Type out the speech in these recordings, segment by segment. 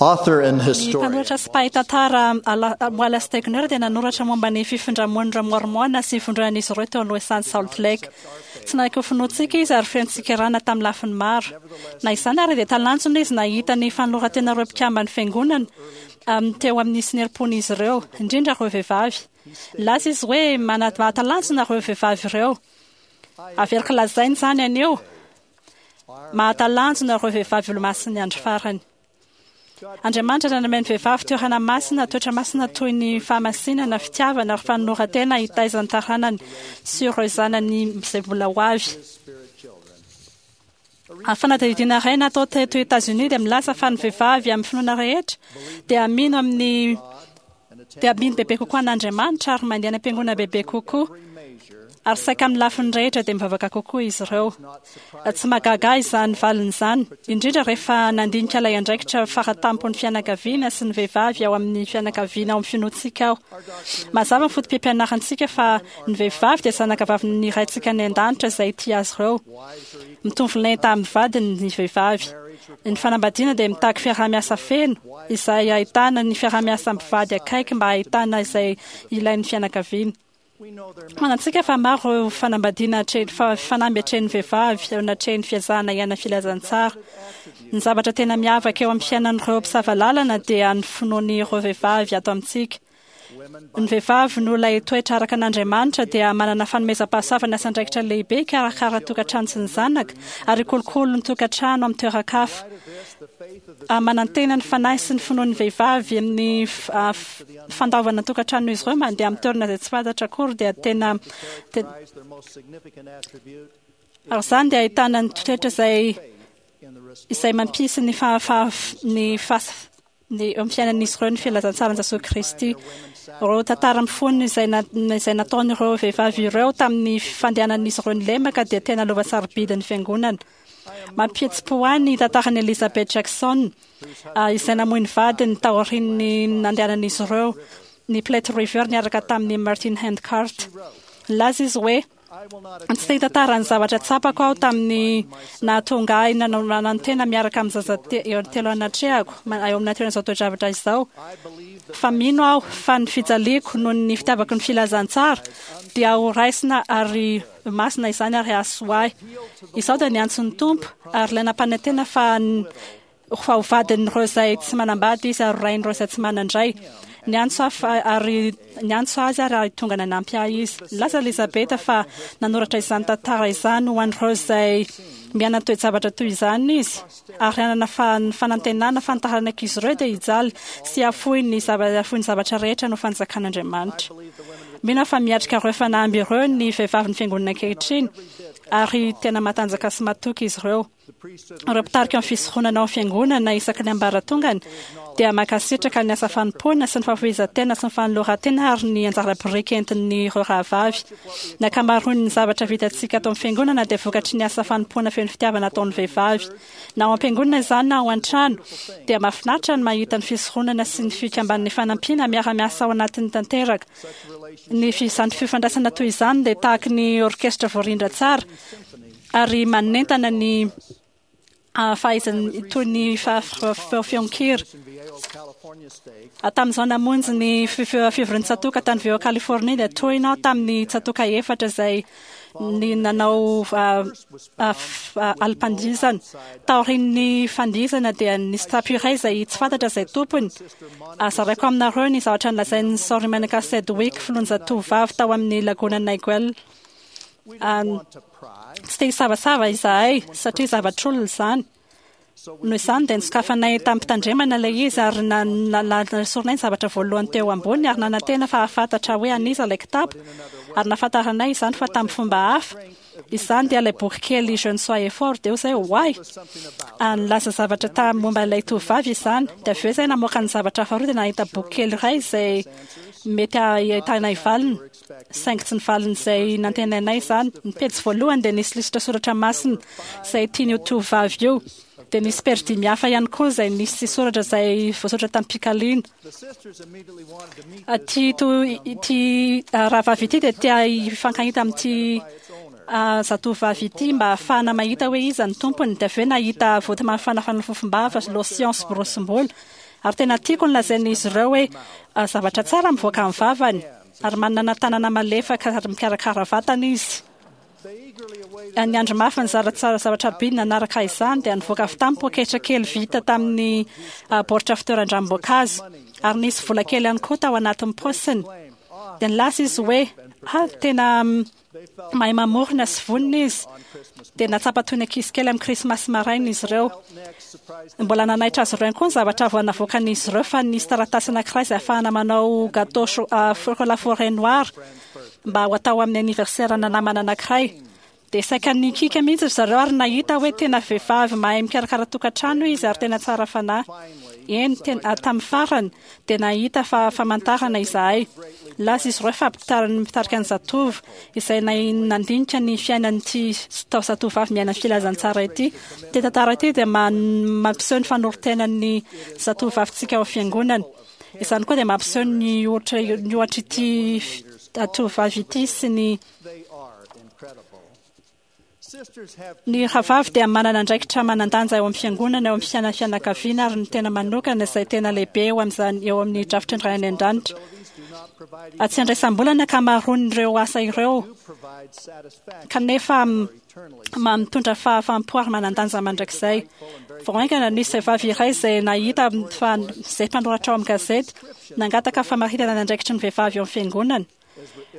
Author and Ny historian mpanoratra sy mpahay tantara Wallace Stegner dia nanoratra momba ny fifindramon'ireo Mormona sy ny fivondronan'izy ireo teo Loisan'i Salt Lake. Tsy nanaiky ho finoantsika izy ary feno tsikerana tamin'ny lafiny maro. Na izany ary dia talanjona izy nahita ny fanoloran-tenan'ireo mpikamban'ny Fiangonana teo amin'ny sy ny herim-pon'izy ireo, indrindra ireo vehivavy. Nilaza izy hoe, Mahatalanjona ireo vehivavy ireo. Averiko lazaina izany anio. Mahatalanjona ireo vehivavy olomasin'ny andro farany. Andriamanitra nanome ny vehivavy toerana masina, toetra masina toy ny fahamasinana, fitiavana ary fanoloran-tena hitaiza ny taranany sy ireo zanany izay mbola ho avy. Ny fanadihadiana iray natao teto Etazonia dia milaza fa ny vehivavy amin'ny finoana rehetra dia mino amin'ny dia mino bebe kokoa an'Andriamanitra ary mandeha any am-piangonana bebe kokoa. Ary saika amin'ny lafiny rehetra dia mivavaka kokoa izy ireo. Tsy mahagaga ahy izany valiny izany, indrindra rehefa nandinika ilay andraikitra fara-tampon'ny fianakaviana sy ny vehivavy ao amin'ny fianakaviana ao amin'ny finoantsika aho. Mazava ny foto-pampianarantsika fa ny vehivavy dia zanakavavin'ny Raintsika any An-danitra izay tia azy ireo. Mitovy lenta amin'ny vadiny ny vehivavy. Ny fanambadiana dia mitaky fiaraha-miasa feno, izay ahitana ny fiaraha-miasa mpivady akaiky mba hahitana izay ilain'ny fianakaviana. Fantatsika fa maro ireo fanambadiana atrehin'ny fanamby atrehin'ny vehivavy eo anatrehan'ny fiezahana hiaina filazantsara. Ny zavatra tena miavaka eo amin'ny fiainan'ireo mpisava lalana dia ny finoan'ireo vehivavy ato amintsika. Ny vehivavy noho ilay toetra araka an'Andriamanitra dia manana fanomezam-pahasoavana sy andraikitra lehibe hikarakara tokantrano sy ny zanaka ary hikolokolo ny tokantrano amin'ny toeran-kafa. Manantena ny fanahy sy ny finoan'ny vehivavy amin'ny fandaovana ny tokantranon'izy ireo mandeha amin'ny toerana izay tsy fantatra akory dia tena ary izany dia ahitana ny toetra izay izay mampisy ny ny ny eo amin'ny fiainan'izy ireo ny filazantsaran'i Jesoa Kristy. Ireo tantara mifono izay izay nataon'ireo vehivavy ireo tamin'ny fandehanan'izy ireo ny lemaka dia tena lova sarobidin'ny fiangonana. Mampihetsi-po ahy ny tantaran'i Elizabeth Jackson, izay namoy ny vadiny taorian'ny nandehanan'izy ireo ny Platte River niaraka tamin'i Martin Handcart. Nilaza izy hoe, Tsy te hitantara ny zavatra tsapako aho tamin'ny nahatonga ahy nanao nanantena miaraka amin'ny zaza telo anatrehako eo amin'ny natrehan'izao toe-javatra izao, fa mino aho fa ny fijaliako noho ny fitiavako ny filazantsara dia ho raisina ary masina izany ary hahasoa ahy. Izaho dia niantso ny Tompo ary ilay nampanantena fa fa ho vadin'ireo izay tsy manambady izy ary ho rain'ireo izay tsy manan-dray. Niantso aho fa ary niantso azy ary ary tonga nanampy ahy izy. Nilaza Elizabeth fa nanoratra izany tantara izany ho an'ireo izay miaina toe-javatra toy izany izy ary hanana fanantenana fa ny taranak'izy ireo dia hijaly sy hahafoy ny hahafoy ny zavatra rehetra noho fanjakan'Andriamanitra. Mino aho fa miatrika ireo fanamby ireo ny vehivavin'ny Fiangonana ankehitriny ary tena matanjaka sy matoky izy ireo. Ireo mpitarika ny fisoronana ao amin'ny Fiangonana isaky ny ambaratongany dia mankasitraka ny asa fanompoana sy ny fahafoizan-tena sy ny fanoloran-tena ary ny anjara biriky entin'ireo rahavavy. Ny ankamaroan'ny zavatra vitantsika ato amin'ny Fiangonana dia vokatry ny asa fanompoana feno fitiavana ataon'ny vehivavy. Na ao am-piangonana izany na ao an-trano, dia mahafinaritra ny mahita ny fisoronana sy ny fikamban'ny fanampiana miara-miasa ao anatin'ny tanteraka. Ny izany fifandraisana toy izany dia tahaky ny orkesitra voarindra tsara, ary manentana ny fahaizany toy ny feon-kira. Tamin'izaho namonjy ny fivorian'ny tsatòka tany Veo Californie dia tohina aho tamin'ny tsatòka efatra izay ny nanao alim-pandihizana. Taorian'ny fandihizana dia nisy kitapo iray izay tsy fantatra izay tompony. Zaraiko aminareo ny zavatra nolazain'i Sorry Monica Sedgwick, filohan'ny zatovovavy tao amin'ny Lagona Niguel. Tsy te hisavasava izahay satria zavatr'olona izany. Noho izany dia nosokafanay tamim-pitandremana ilay izy ary nesorinay ny zavatra voalohany teo amboniny ary nanantena fa hahafantatra hoe an'iza ilay kitapo ary nahafantaranay izany fa tamin'ny fomba hafa. Izany dia ilay boky kely Jeunes soyez forts dia hoy izahay oay! Nilaza zavatra tamin'ny momba ilay tovovavy izany. Dia avy eo izahay namoaka ny zavatra faharoa dia nahita boky kely iray izay mety hahitanay valiny. Saingy tsy ny valin'izay nantenainay izany. Ny pejy voalohany dia nisy lisitra soratra masina izay tian'io tovovavy io. Dia nisy pejy dimy hafa ihany koa izay nisy soratra izay voasoratra tamim-pikaliana. Ity ity rahavavy ity dia te hifankahita amin'ity zatovovavy ity mba hahafahana mahita hoe iza ny tompony. Dia avy eo nahita voaty mafanafana fofom-bava, lotion sy borosim-bolo. Ary tena tiako ny lazain'izy ireo hoe zavatra tsara mivoaka amin'ny vavany, ary manana tanana malefaka ary mikarakara vatana izy. Ny andro mafy nizara tsara zavatra be nanaraka izany dia nivoaka avy tamin'ny poketra kely vita tamin'ny baoritra fitoeran-dranom-boankazo, ary nisy vola kely ihany koa tao anatin'ny paosiny. Dia nilaza izy hoe, Ah, tena mahay mamorona sy vonona izy. Dia nahatsapa toy ny ankizy kely amin'ny Krismasy maraina izy ireo. Mbola nanaitra azy ireo ihany koa ny zavatra vao navoakan'izy ireo fa nisy taratasy anankiray izay ahafahana manao gâteau chocolat forêt noir mba ho atao amin'ny anniversaire-na namana anankiray. Dia saika nikiaka mihitsy ry zareo ary nahita hoe tena vehivavy mahay mikarakara tokantrano izy ary tena tsara fanahy. Eny, tena, tamin'ny farany dia nahita fa famantarana izahay. Nilaza izy ireo fa mpitarika ny zatovo izay nandinika ny fiainan'ity zatovovavy miaina ny filazantsara ity. Ity tantara ity dia mampiseho ny fanoron-tenan'ny zatovovavintsika ao fiangonana. Izany koa dia mampiseho ny ohatra ny ohatr'ity tovovavy ity sy ny Ny rahavavy dia manana andraikitra manan-danja eo amin'ny fiangonana, eo amin'ny fiainan'ny fianakaviana ary ny tena manokana izay tena lehibe eo amin'izany eo amin'ny drafitry ny Ray any An-danitra. Tsy andraisam-bola ny ankamaroan'ireo asa ireo, kanefa mitondra fahafaham-po ary manan-danja mandrakizay. Vao haingana nisy vehivavy iray izay nahita fa izay mpanoratra ao amin'ny gazety nangataka famaritana ny andraikitry ny vehivavy eo amin'ny fiangonana.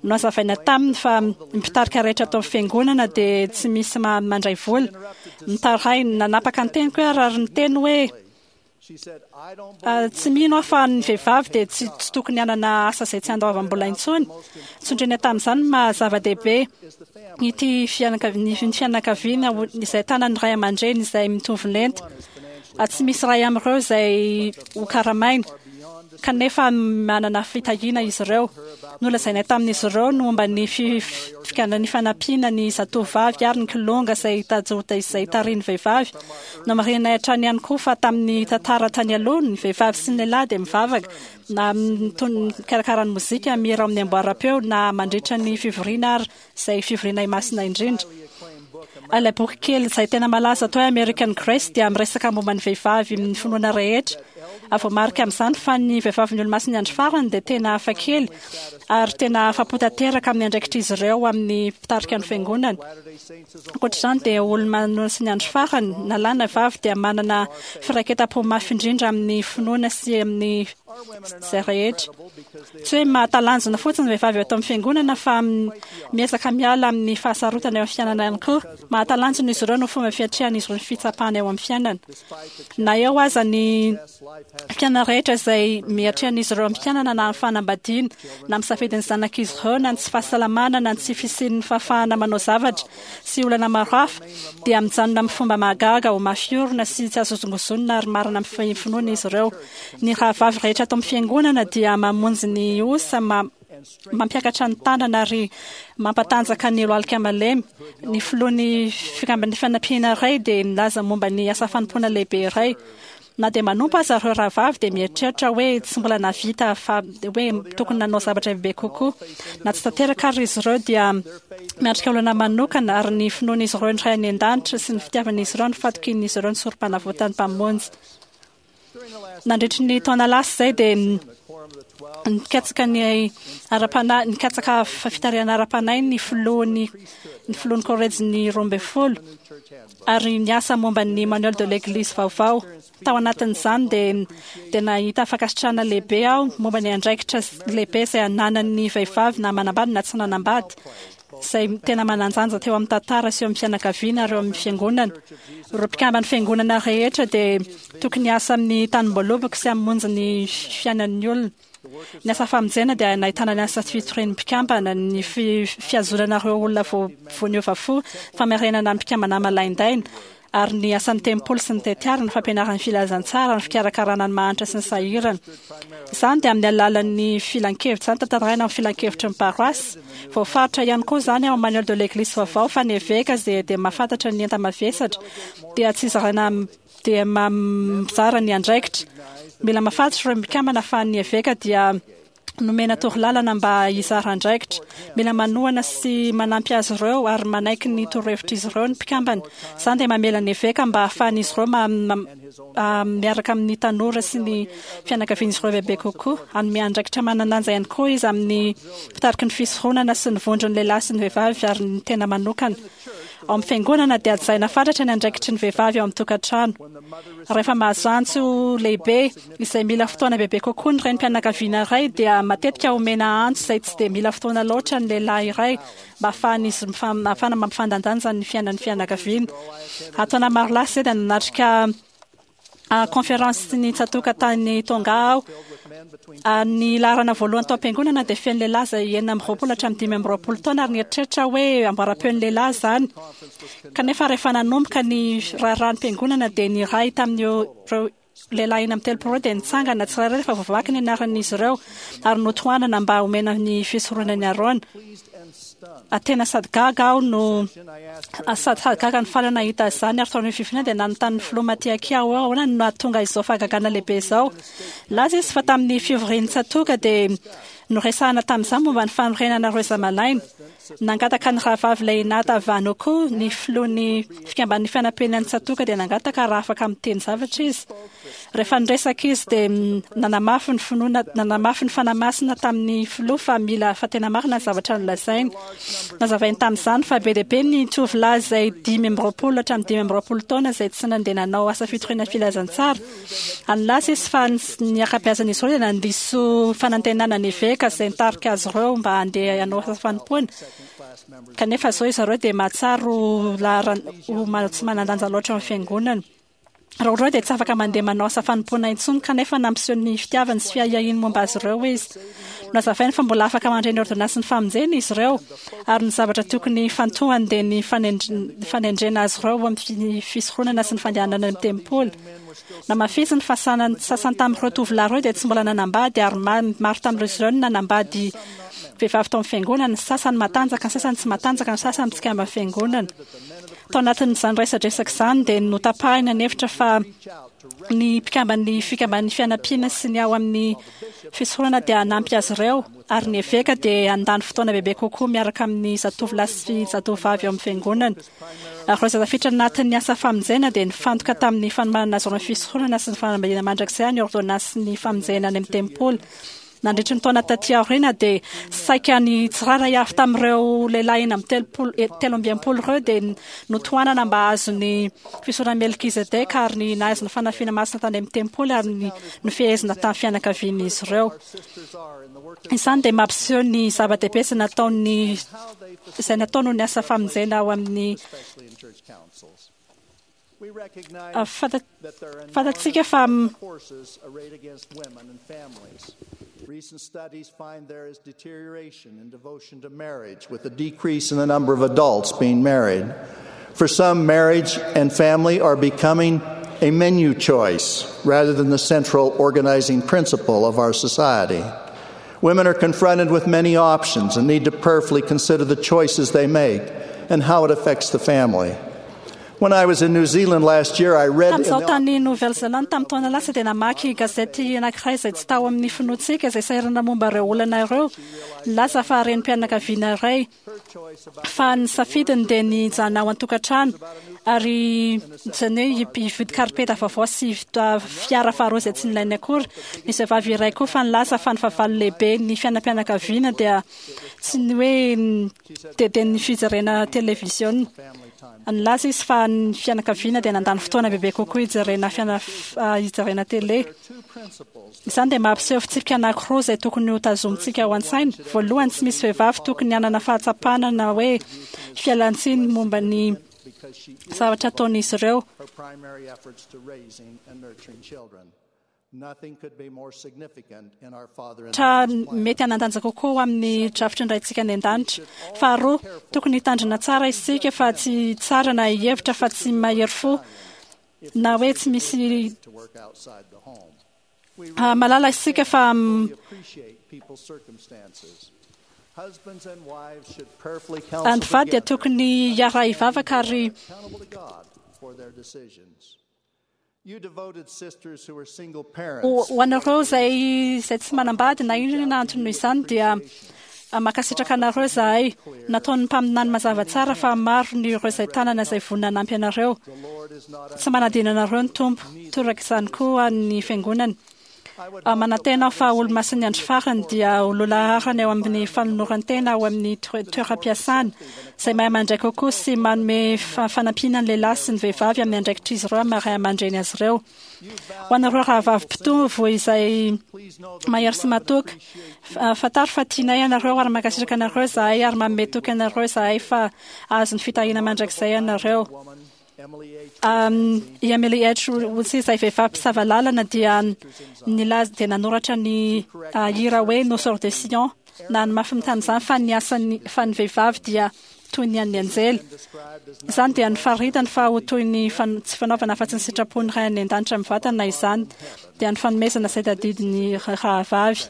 Nohazavaina taminy fa ny mpitarika rehetra ato amin'ny fiangonana dia tsy misy mandray vola. Nitaraina, nanapaka ny teniko aho ary niteny hoe, Tsy mino aho fa ny vehivavy dia tsy tokony hanana asa izay tsy andoavam-bola intsony. Sondriana tamin'izany ny maha zava-dehibe ity ny fianakaviana izay tanan'ny ray aman-dreny izay mitovy lenta. Tsy misy iray amin'ireo izay hokaramaina. kanefa manana fitahiana izy ireo. Nolazainay tamin'izy ireo ny momba ny fikan'ny fanampiana ny zatovovavy ary ny kilonga izay tajota izay tarihin'ny vehivavy. Nomarihinay hatrany ihany koa fa tamin'ny tantara tany aloha, ny vehivavy sy ny lehilahy dia mivavaka na mikarakara ny mozika, mihira ao amin'ny amboaram-peo na mandritra ny fivoriana ary izay fivoriana imasina indrindra. Ilay boky kely izay tena malaza atao hoe American Grace dia miresaka momba ny vehivavy amin'ny finoana rehetra. Voamarika amin'izany fa ny vehivavin'ny Olomasin'ny Andro Farany dia tena hafakely ary tena afa-po tanteraka amin'ny andraikitr'izy ireo amin'ny mpitarika ny Fiangonana. Ankoatra izany dia Olomasin'ny Andro Farany, na lahy na vavy, dia manana firaiketam-po mafy indrindra amin'ny finoana sy amin'ny izay rehetra. Tsy hoe mahatalanjona fotsiny ny vehivavy ato amin'ny fiangonana fa miezaka miala amin'ny fahasarotana eo amin'ny fiainana ihany koa. Mahatalanjona izy ireo noho fomba fiatrehan'izy ireo ny fitsapana eo amin'ny fiainana. Na eo aza ny fiainana rehetra izay miatrehan'izy ireo amin'ny fiainana na amin'ny fanambadiana, na amin'ny safidin'ny zanak'izy ireo, na ny tsy fahasalamana, na ny tsy fisian'ny fahafahana manao zavatra sy olana maro hafa, dia mijanona amin'ny fomba mahagaga ho mafy orina sy tsy azo hozongozonina ary marina amin'ny finoana izy ireo. Ny rahavavy rehetra ato amin'ny Fiangonana dia mamonjy ny osa, mampiakatra ny tanana ary mampatanjaka ny lohalika malemy. Ny filohan'ny Fikamban'ny Fanampiana iray dia nilaza momba ny asa fanompoana lehibe iray. Na dia manompo aza ireo rahavavy dia mieritreritra hoe tsy mbola nahavita fa hoe tokony nanao zavatra bebe kokoa. Na tsy tanteraka ary izy ireo dia miatrika olana manokana ary ny finoan'izy ireo ny Ray any An-danitra sy ny fitiavan'izy ireo ny fatokian'izy ireo ny Sorompanavotan'ny Mpamonjy. Nandritry ny taona lasa izay dia nikatsaka ny ara-panahy, nikatsaka fitarihana ara-panahy ny filohan'ny ny filohan'ny kôlejin'ny 12 ary niasa momba ny Manuel de l'Eglise vaovao. Tao anatin'izany dia dia nahita fankasitrahana lehibe aho momba ny andraikitra lehibe izay ananan'ny vehivavy na manambady na tsy nanambady. izay tena manan-danja teo amin'ny tantara sy eo amin'ny fianakaviana ary eo amin'ny fiangonana. Ireo mpikamban'ny fiangonana rehetra dia tokony hiasa amin'ny tanim-boaloboka sy hamonjy ny fiainan'ny olona. Ny asa famonjena dia nahitana ny asa fitorian'ny mpikambana, ny fihazonana ireo olona vao niova fo, famerenana ny mpikambana malaindaina, ary ny asan'ny tempoly sy ny tetiara, ny fampianarana ny filazantsara, ny fikarakarana ny mahantra sy ny sahirana. Izany dia amin'ny alalan'ny filankevitra, izany tantaraina amin'ny filankevitry ny paroasy. Voafaritra ihany koa izany ao amin'ny Manuel de l'Eglise vaovao fa ny eveka izay dia mahafantatra ny enta-mavesatra dia tsy zaraina dia mizara ny andraikitra. Mila mahafantatra ireo mpikambana fa ny eveka dia. Nomena torolalana mba hizara andraikitra. Mila manohana sy manampy azy ireo ary manaiky ny torohevitr'izy ireo ny mpikambana. Izany dia mamela ny eveka mba hahafahan'izy ireo miaraka amin'ny tanora sy ny fianakavian'izy ireo bebe kokoa. Hanome andraikitra manan-danja ihany koa izy amin'ny mpitariky ny fisoronana sy ny vondron'ny lehilahy sy ny vehivavy ary ny tena manokana. Ao amin'ny fiangonana dia hajaina fatratra ny andraikitry ny vehivavy ao amin'ny tokantrano. Rehefa mahazo antso lehibe izay mila fotoana bebe kokoa ny renim-pianakaviana iray dia matetika omena antso izay tsy dia mila fotoana loatra ny lehilahy iray mba hahafahan'izy ahafahana mampifandandanja ny fiainan'ny fianakaviana. Taona maro lasa izay dia nanatrika conférence ny tsatoka tany Tonga aho. Ny laharana voalohany tao am-piangonana dia feno lehilahy izay 26 hatramin'ny 25 taona ary nieritreritra aho hoe amboaram-peon'ny lehilahy izany. Kanefa rehefa nanomboka ny raharahan'ny mpiangonana dia ny iray tamin'ireo lehilahy 36 ireo dia nitsangana tsirairay rehefa voavaky ny anaran'izy ireo ary notohanana mba homena ny fisoronan'i Arona. Tena sady gaga aho no sady sady gaga no faly nahita izany ary tao amin'ny fivoriana dia nanontany ny filoha Matiaki aho hoe ahoana no nahatonga izao fahagagana lehibe izao. Nilaza izy fa tamin'ny fivorian'ny tsatoka dia noresahana tamin'izany momba ny fanorenana ireo zamalaina. Nangataka ny rahavavy Leinata Vanoku, ny filohan'ny fikamban'ny fanampiana ny tsatoka dia nangataka raha afaka miteny zavatra izy. Rehefa niresaka izy dia nanamafy ny finoana, nanamafy ny Fanahy Masina tamin'ny filoha fa mila fa tena marina ny zavatra nolazainy. Nazavainy tamin'izany fa be dia be ny tovolahy izay 25 hatramin'ny 25 taona izay tsy nandeha nanao asa fitoriana filazantsara. Ary nilaza izy fa ny ankabeazan'izy ireo dia nandiso fanantenana ny eveka izay nitarika azy ireo mba handeha hanao asa fanompoana. Kanefa izao izy ireo dia mahatsiaro ho laharan- ho tsy manan-danja loatra ao amin'ny fiangonana. Raha ireo dia tsy afaka mandeha manao asa fanompoana intsony, kanefa nampiseho ny fitiavany sy fiahiahiany momba azy ireo izy. Nohazavainy fa mbola afaka mandray ny ôrdônansin'ny famonjena izy ireo, ary ny zavatra tokony hifantohany dia ny fanendrena azy ireo ho amin'ny fisoronana sy ny fandehanana any amin'ny tempoly. Namafisiny fa sasany tamin'ireo tovolahy ireo dia tsy mbola nanambady, ary maro tamin'ireo ireo no nanambady vehivavy tao amin'ny fiangonana, ny sasany matanjaka, ny sasany tsy matanjaka, ny sasany mpikamban'ny fiangonana. Tao anatin'izany resadresaka izany dia notapahina ny hevitra fa ny mpikamban'ny fikamban'ny fianampiana sy ny ao amin'ny fisoronana dia hanampy azy ireo ary ny eveka dia handany fotoana bebe kokoa miaraka amin'ny zatovolahy sy zatovovavy ao amin'ny fiangonana. Ary ireo izay tafiditra anatin'ny asa famonjena dia nifantoka tamin'ny fanomanana azy ireo ny fisoronana sy ny fanambadiana mandrakizay any ôrdônansin'ny famonjena any amin'ny tempoly. Nandritry ny taona taty aoriana dia saika ny tsirairay avy tamin'ireo lehilahy 36 63 ireo dia notohanana mba hahazo ny fisoronan'i Melkizedeka ary ny nahazo ny fanafiana masina tany amin'ny tempoly ary ny nofehezina tamin'ny fianakavian'izy ireo. Izany dia mampiseho ny zava-dehibe izay nataon'ny izay natao noho ny asa famonjena ao amin'ny Fantatsika fa Recent studies find there is deterioration in devotion to marriage with a decrease in the number of adults being married. For some, marriage and family are becoming a menu choice rather than the central organizing principle of our society. Women are confronted with many options and need to prayerfully consider the choices they make and how it affects the family. When I was in New Zealand last year, I read in Tamin'izaho the tany Nouvelle-Zélande tamin'ny taona lasa dia namaky gazety anankiray izay tsy tao amin'ny finoantsika izay sahirana momba ireo olana ireo. Nilaza fa renim-pianakaviana iray fa ny safidiny dia ny hijanona ao an-tokantrano ary izany hoe hividy karipeta vaovao sy fiara faharoa izay tsy nilainy akory. Nisy vehivavy iray koa fa nilaza fa ny fahavalo lehibe ny fiainam-pianakaviana dia tsy ny hoe dia dia ny fijerena televiziona. Nilaza izy fa ny fianakaviana dia nandany fotoana bebe kokoa hijerena fiana hijerena tele. Izany dia mampiseho fitsipika anankiroa izay tokony ho tazomintsika ao an-tsaina. Voalohany, tsy misy vehivavy tokony hanana fahatsapana na hoe fialan-tsiny momba ny zavatra ataon'izy ireo. Tra mety hanan-danja kokoa ho amin'ny drafitry ny Raintsika any An-danitra. Faharoa, tokony hitandrina tsara isika fa tsy hitsara na hihevitra fa tsy mahery fo na hoe tsy misy mahalala isika fa ny mpivady dia tokony hiara-hivavaka ary You devoted sisters who are single Ho parents, ho anareo izay izay tsy manambady na inona na antony noho izany dia mankasitraka anareo izahay. Nataon'ny mpaminany mazava tsara fa maro ny ireo izay tanana izay vonona hanampy anareo. the Lord is not Tsy manadino anareo ny Tompo. Toraka izany koa ny fiangonany. I would Manantena aho fa olomasin'ny andro farany dia ho lohalaharana eo amin'ny fanoloran-tena ao amin'ny toeram-piasana, izay mahay mandray kokoa sy manome fanampiana ny lehilahy sy ny vehivavy amin'ny andraikitr'izy ireo amin'ny maha ray aman-dreny azy ireo. Ho anareo rahavavy mpitovo izay mahery sy matoky, fantaro fa tianay ianareo ary mankasitraka anareo izahay ary manome toky anareo izahay fa hahazo ny fitahiana mandrakizay ianareo. I Emily H. Woolsey izay vehivavy mpisava lalana dia nilaza dia nanoratra ny hira hoe Nos Sœurs de Sion na ny mafiny tamin'izany fa ny asan'ny fa ny vehivavy dia toy ny an'ny anjely. Izany dia nofaritany fa ho toy ny tsy fanaovana afa-tsy ny sitrapon'ny Ray any an-danitra mivantana izany dia ny fanomezana izay tadidin'ny rahavavy.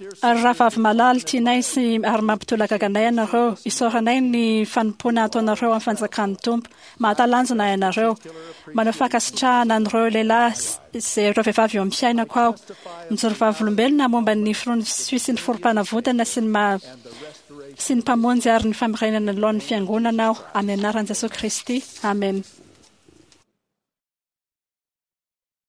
Ary rahavavy malala, tianay sy ary mampitolagaga anay ianareo. Isaoranay ny fanompoana ataonareo amin'ny fanjakan'ny Tompo. Mahatalanjona ianareo. Maneho fankasitrahana an'ireo lehilahy sy ireo vehivavy eo amin'ny fiainako aho. Mijoro vavolombelona momba ny finoan'ny sy ny forom-panavotana sy ny maha sy ny Mpamonjy ary ny famerenana ny laon'ny Fiangonana aho, amin'ny anaran'i Jesoa Kristy. Amena.